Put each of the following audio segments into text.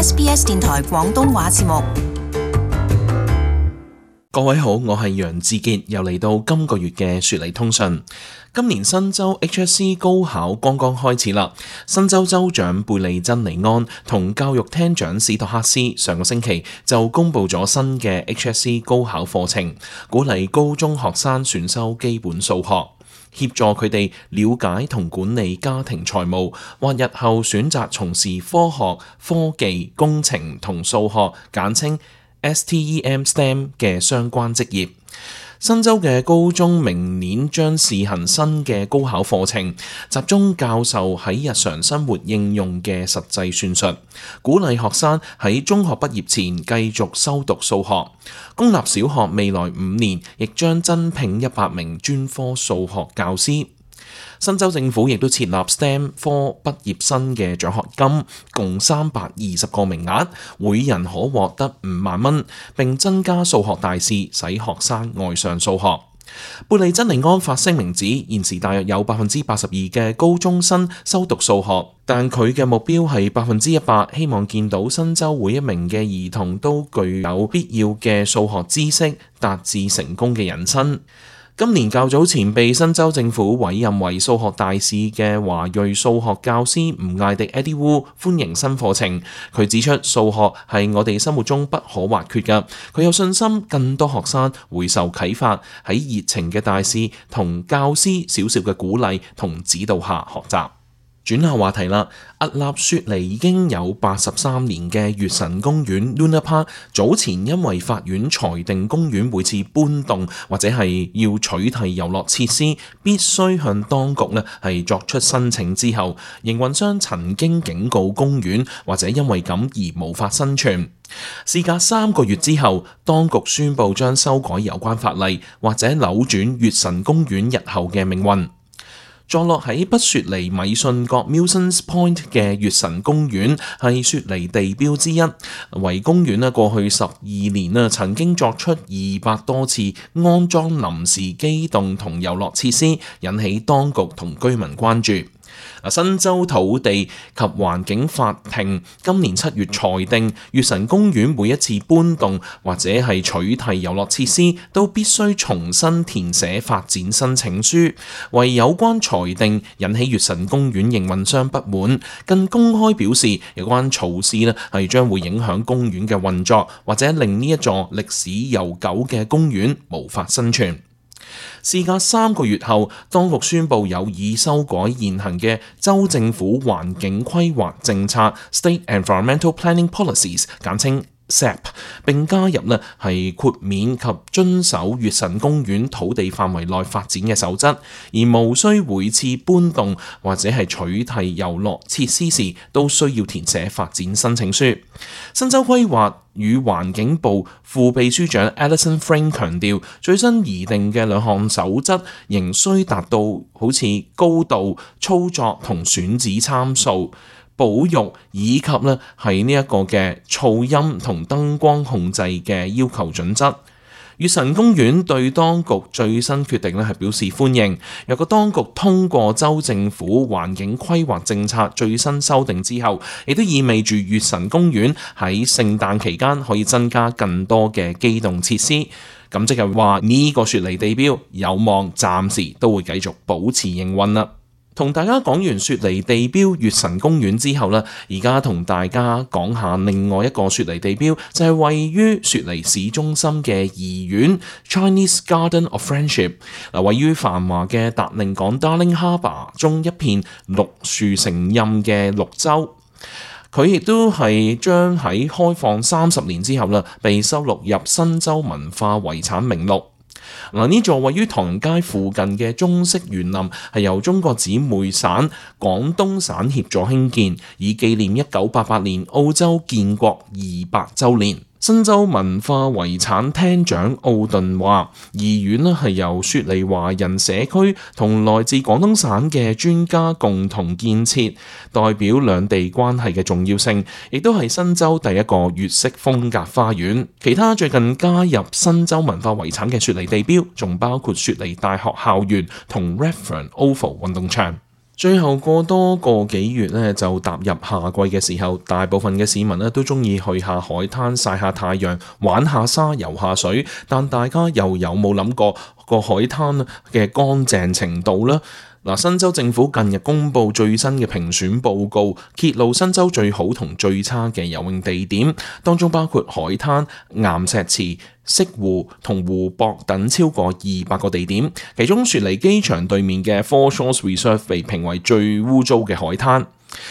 SBS 電台廣東話節目。各位好，我係楊志傑，又嚟到今個月嘅雪梨通訊。今年新州 HSC 高考剛剛開始啦，新州州長貝利珍尼安同教育廳長史托克斯上個星期就公布咗新嘅 HSC 高考課程，鼓勵高中學生選修基本數學，協助佢哋了解同管理家庭財務，或日後選擇從事科學、科技、工程同數學（簡稱STEM 嘅相關職業。新州嘅高中明年將試行新嘅高考課程，集中教授喺日常生活應用嘅實際算術，鼓勵學生喺中學畢業前繼續修讀數學。公立小學未來5年亦將增聘100名專科數學教師。新州政府亦都設立 STEM 科畢業生嘅獎學金，共320個名額，每人可獲得5萬蚊，並增加數學大試，使學生愛上數學。貝利珍尼安發聲明指，現時大約有82%嘅高中生修讀數學，但佢嘅目標係100%，希望見到新州每一名嘅兒童都具有必要嘅數學知識，達至成功嘅人生。今年較早前被新州政府委任為數學大使嘅華裔數學教師吳艾迪 Eddie Wu 歡迎新課程。佢指出數學係我哋生活中不可或缺嘅，佢有信心更多學生會受啟發，喺熱情嘅大使同教師少少嘅鼓勵同指導下學習。轉下話題啦，屹立雪梨已經有83年嘅月神公園 Luna Park， 早前因為法院裁定公園每次搬動或者係要取締遊樂設施，必須向當局係作出申請之後，營運商曾經警告公園或者因為咁而無法生存。事隔3個月之後，當局宣布將修改有關法例，或者扭轉月神公園日後嘅命運。坐落喺北雪梨米遜角 Milsons Point 嘅月神公園係雪梨地標之一，為公園過去12年曾經作出200多次安裝臨時機動同遊樂設施，引起當局同居民關注。新州土地及環境法庭今年7月裁定，月神公園每一次搬動或者係取締遊樂設施，都必須重新填寫發展申請書。為有關裁定引起月神公園營運商不滿，更公開表示有關措施係將會影響公園嘅運作，或者令呢一座歷史悠久嘅公園無法生存。事隔3個月後，當局宣布有意修改現行嘅州政府環境規劃政策 （State Environmental Planning Policies）， 簡稱SEP， 並加入係豁免及遵守月神公園土地範圍內發展嘅守則，而無需每次搬動或者係取締遊樂設施時都需要填寫發展申請書。新州規劃與環境部副秘書長 Alison Frank 強調，最新擬定嘅2項守則仍需達到好似高度、操作同選址參數、保育以及係呢一個嘅噪音同燈光控制嘅要求準則。月神公園對當局最新決定係表示歡迎。若果當局通過州政府環境規劃政策最新修訂之後，亦都意味住月神公園喺聖誕期間可以增加更多嘅機動設施。咁即係話呢個雪梨地標有望暫時都會繼續保持營運啦。同大家講完雪梨地標月神公園之後呢，而家同大家講下另外一個雪梨地標，就係位於雪梨市中心嘅怡園 Chinese Garden of Friendship。位於繁華嘅達令港 Darling Harbour 中一片綠樹成蔭嘅綠洲。佢亦都係將喺開放30年之後被收錄入新州文化遺產名錄。呢座位於唐人街附近嘅中式園林係由中國姊妹省廣東省協助興建，以紀念1988年澳洲建國200週年。新州文化遺產廳長奧頓話，怡園係由雪梨華人社區同來自廣東省嘅專家共同建設，代表兩地關係嘅重要性，亦都係新州第一個粵式風格花園。其他最近加入新州文化遺產嘅雪梨地標，仲包括雪梨大學校園同 Redfern Oval 運動場。最後過多個幾月咧，就踏入夏季嘅時候，大部分嘅市民咧都中意去下海灘曬下太陽、玩下沙、游下水。但大家又有冇諗過個海灘嘅乾淨程度呢？嗱，新州政府近日公布最新嘅評選報告，揭露新州最好同最差嘅游泳地點，當中包括海灘、岩石池、潟湖同湖泊等超過200個地點，其中雪梨機場對面嘅 Four Shores Reserve 被評為最污糟嘅海灘。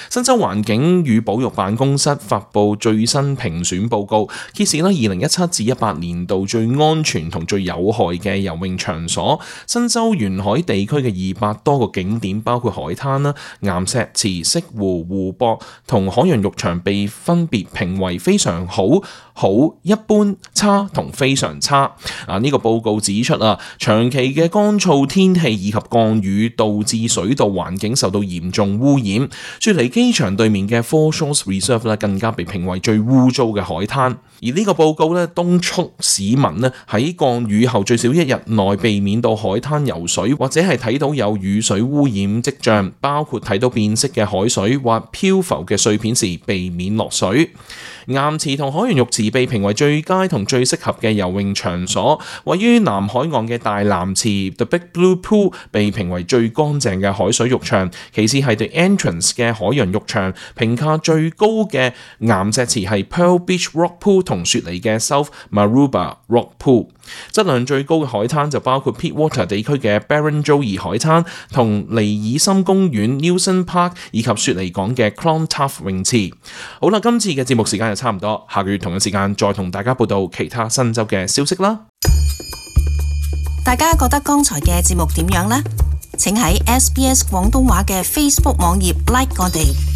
新州環境與保育辦公室發布最新評選報告，揭示啦2017至18年度最安全同最有害嘅游泳場所。新州沿海地區嘅200多個景點，包括海灘啦、岩石池、潟湖、湖泊同海洋浴場，被分別評為非常好、好、一般、差同非常差。呢個報告指出長期嘅乾燥天氣以及降雨導致水道環境受到嚴重污染。雪梨機場對面嘅 Four Shores Reserve 咧，更加被評為最污糟嘅海灘。而呢個報告咧，敦促市民咧喺降雨後最少1日內避免到海灘游水，或者係睇到有雨水污染跡象，包括睇到變色嘅海水或漂浮嘅碎片時，避免落水。岩池同海洋浴池被評為最佳同最適合嘅游泳場所。位於南海岸嘅大藍池 The Big Blue Pool 被評為最乾淨嘅海水浴場，其次係 The Entrance 嘅海洋浴場。評價最高嘅岩石池係 Pearl Beach Rock Pool 同雪梨嘅 South Maroubra Rock Pool。質量最高嘅海灘就包括 Pittwater 地區嘅 Barrenjoey 海灘同尼爾森公園 Nilsson Park 以及雪梨港嘅 Clontarf 泳池。好啦，今次嘅節目時間就差唔多，下個月同一時間再同大家報道其他新州嘅消息啦。大家覺得剛才嘅節目點樣呢？請喺 SBS 廣東話嘅 Facebook 網頁 like 我哋。